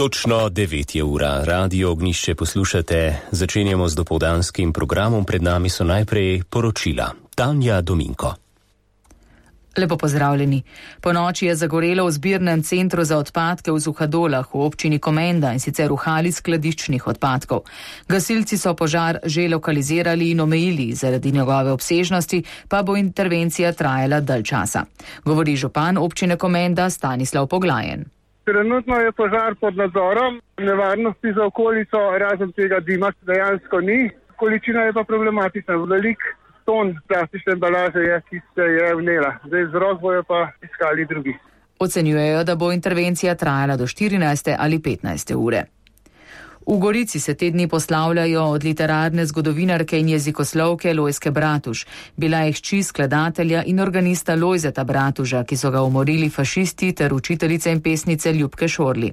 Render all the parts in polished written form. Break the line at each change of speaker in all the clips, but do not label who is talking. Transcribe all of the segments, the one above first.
Točno 9 je ura, Radio Ognjišče poslušate, začenjamo z dopoldanskim programom, pred nami so najprej poročila. Tanja Dominko.
Lepo pozdravljeni. Po noči je zagorelo v zbirnem centru za odpadke v Suhadolah v občini Komenda, in sicer v hali skladiščnih odpadkov. Gasilci so požar že lokalizirali in omejili, zaradi njegove obsežnosti pa bo intervencija trajala dalj časa. Govori župan občine Komenda Stanislav Poglajen.
Trenutno je požar pod nadzorom, nevarnosti za okolico razen tega dima dejansko ni, količina je pa problematična, velik ton plastične embalaže je, ki se je vnela. Zdaj vzrok bojo pa iskali drugi.
Ocenjujejo, da bo intervencija trajala do 14. ali 15. ure. V Gorici se te dni poslavljajo od literarne zgodovinarke in jezikoslovke Lojzke Bratuž. Bila je hči skladatelja in organista Lojzeta Bratuža, ki so ga umorili fašisti, ter učiteljice in pesnice Ljubke Šorli.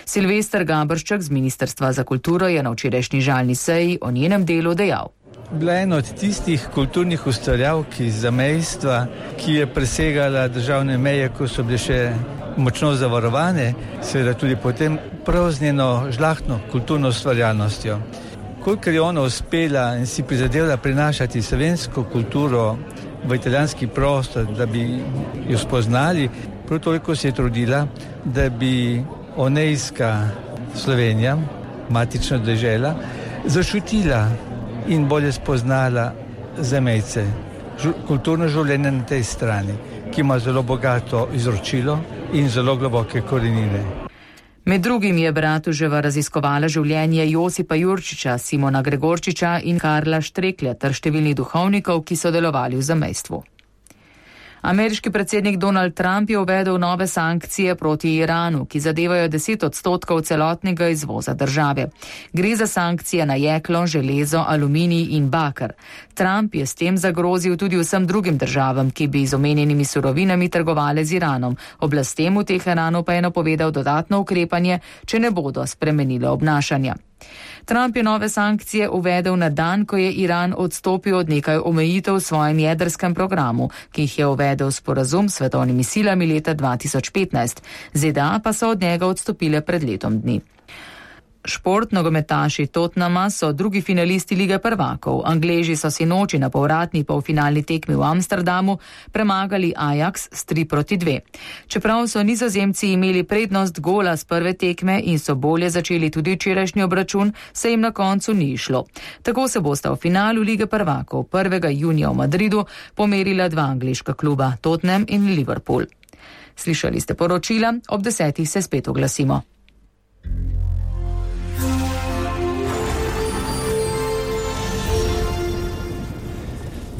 Silvester Gabršček z Ministrstva za kulturo je na včerajšnji žalni seji o njenem delu dejal.
Bila je ena od tistih kulturnih ustvarjalk iz zamejstva, ki je presegala državne meje, ko so bile še močno zavarovane, seveda tudi potem prav z njeno žlahtno kulturno ustvarjalnostjo. Kolikor je ona uspela in si prizadela prinašati slovensko kulturo v italijanski prostor, da bi jo spoznali, prav toliko se je trudila, da bi onejska Slovenija, matična dežela, zaščitila in bolje spoznala zamejce. Kulturno življenje na tej strani, ki ima zelo bogato izročilo in zelo globoke korenine.
Med drugim je Bratuževa raziskovala življenje Josipa Jurčiča, Simona Gregorčiča in Karla Štreklja ter številnih duhovnikov, ki so delovali v zamejstvu. Ameriški predsednik Donald Trump je uvedel nove sankcije proti Iranu, ki zadevajo 10% celotnega izvoza države. Gre za sankcije na jeklo, železo, aluminij in baker. Trump je s tem zagrozil tudi vsem drugim državam, ki bi z omenjenimi surovinami trgovale z Iranom. Oblastem v Teheranu pa je napovedal dodatno ukrepanje, če ne bodo spremenile obnašanja. Trump je nove sankcije uvedel na dan, ko je Iran odstopil od nekaj omejitev v svojem jedrskem programu, ki jih je uvedel sporazum s svetovnimi silami leta 2015. ZDA pa so od njega odstopile pred letom dni. Šport, nogometaši Tottenhama so drugi finalisti Lige prvakov. Angleži so sinoči na povratni polfinalni tekmi v Amsterdamu premagali Ajax s 3-2. Čeprav so Nizozemci imeli prednost gola z prve tekme in so bolje začeli tudi včerajšnji obračun, se jim na koncu ni išlo. Tako se bosta v finalu Lige prvakov 1. junija v Madridu pomerila dva angleška kluba, Tottenham in Liverpool. Slišali ste poročila, ob 10. se spet oglasimo.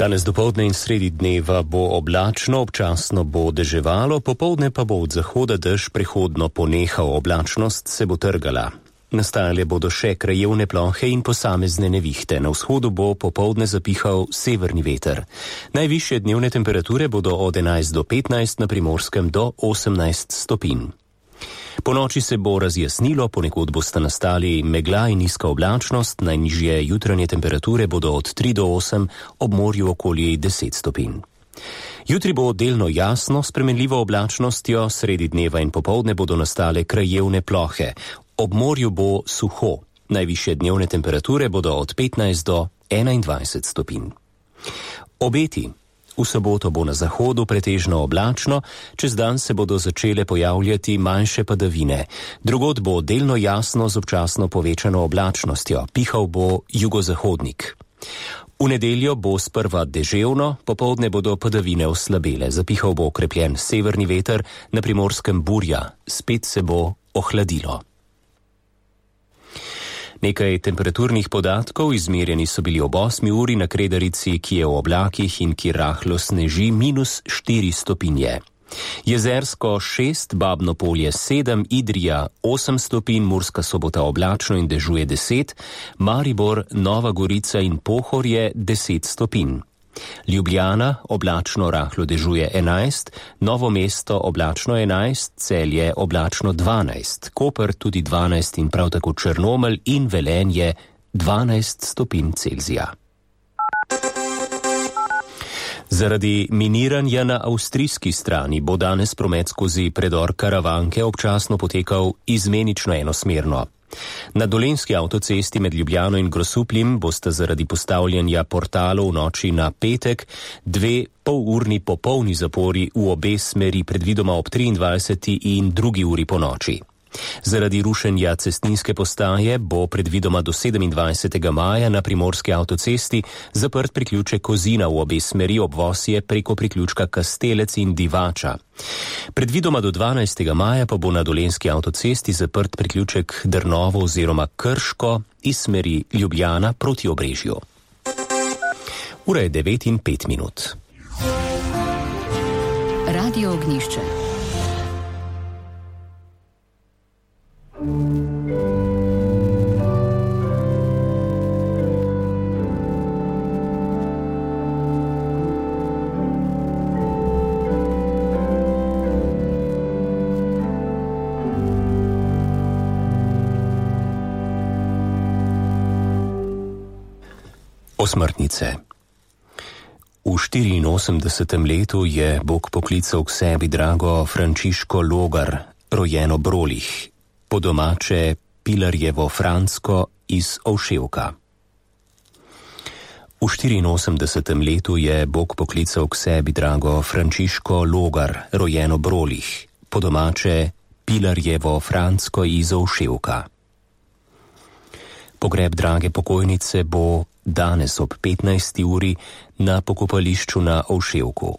Danes dopoldne in sredi dneva bo oblačno, občasno bo deževalo, popoldne pa bo od zahoda dež prehodno ponehal, oblačnost se bo trgala. Nastajale bodo še krajevne plohe in posamezne nevihte. Na vzhodu bo popoldne zapihal severni veter. Najvišje dnevne temperature bodo od 11 do 15, na Primorskem do 18 stopinj. Po noči se bo razjasnilo, ponekod bosta nastali megla in nizka oblačnost, najnižje jutranje temperature bodo od 3 do 8, ob morju okoli 10 stopinj. Jutri bo delno jasno, s spremenljivo oblačnostjo, sredi dneva in popoldne bodo nastale krajevne plohe. Ob morju bo suho, najvišje dnevne temperature bodo od 15 do 21 stopinj. Obeti. V soboto bo na zahodu pretežno oblačno, čez dan se bodo začele pojavljati manjše padavine. Drugod bo delno jasno z občasno povečano oblačnostjo, pihal bo jugozahodnik. V nedeljo bo sprva deževno, popoldne bodo padavine oslabele, zapihal bo okrepljen severni veter, na Primorskem burja, spet se bo ohladilo. Nekaj temperaturnih podatkov, izmerjeni so bili ob 8 uri na Kredarici, ki je v oblakih in ki rahlo sneži, -4 stopinje. Jezersko 6, Babno Polje 7, Idrija 8 stopinj, Murska Sobota oblačno in dežuje 10, Maribor, Nova Gorica in Pohorje 10 stopinj. Ljubljana oblačno rahlo dežuje 11, Novo mesto oblačno 11, Celje oblačno 12, Koper tudi 12 in prav tako Črnomelj in Velenje 12 stopinj Celzija. Zaradi miniranja na avstrijski strani bo danes promet skozi predor Karavanke občasno potekal izmenično enosmerno. Na Dolenjski avtocesti med Ljubljano in Grosupljem bosta zaradi postavljanja portalov v noči na petek 2 polurni popolni zapori v obe smeri, predvidoma ob 23. in 2. uri po noči. Zaradi rušenja cestninske postaje bo predvidoma do 27. maja na primorski avtocesti zaprt priključek Kozina v obe smeri, obvoz je preko priključka Kastelec in Divača. Predvidoma do 12. maja pa bo na Dolenjski avtocesti zaprt priključek Drnovo oziroma Krško iz smeri Ljubljana proti Obrežju. Ura je 9:05.
Radio Ognjišče.
Osmrtnice. V 84. letu je Bog poklical k sebi drago Frančiško Logar, rojeno Brolih, po domače Pilarjevo Fransko iz Ovševka. V 84. letu je Bog poklical k sebi drago Frančiško Logar, rojeno Brolih, po domače Pilarjevo Fransko iz Ovševka. Pogreb drage pokojnice bo danes ob 15. uri na pokopališču na Ovševku.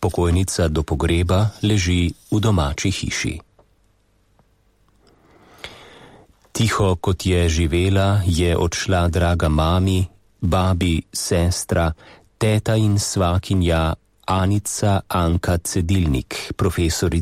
Pokojnica do pogreba leži v domači hiši. Tiho kot je živela, je odšla draga mami, babi, sestra, teta in svakinja Anica Anka Cedilnik, profesorica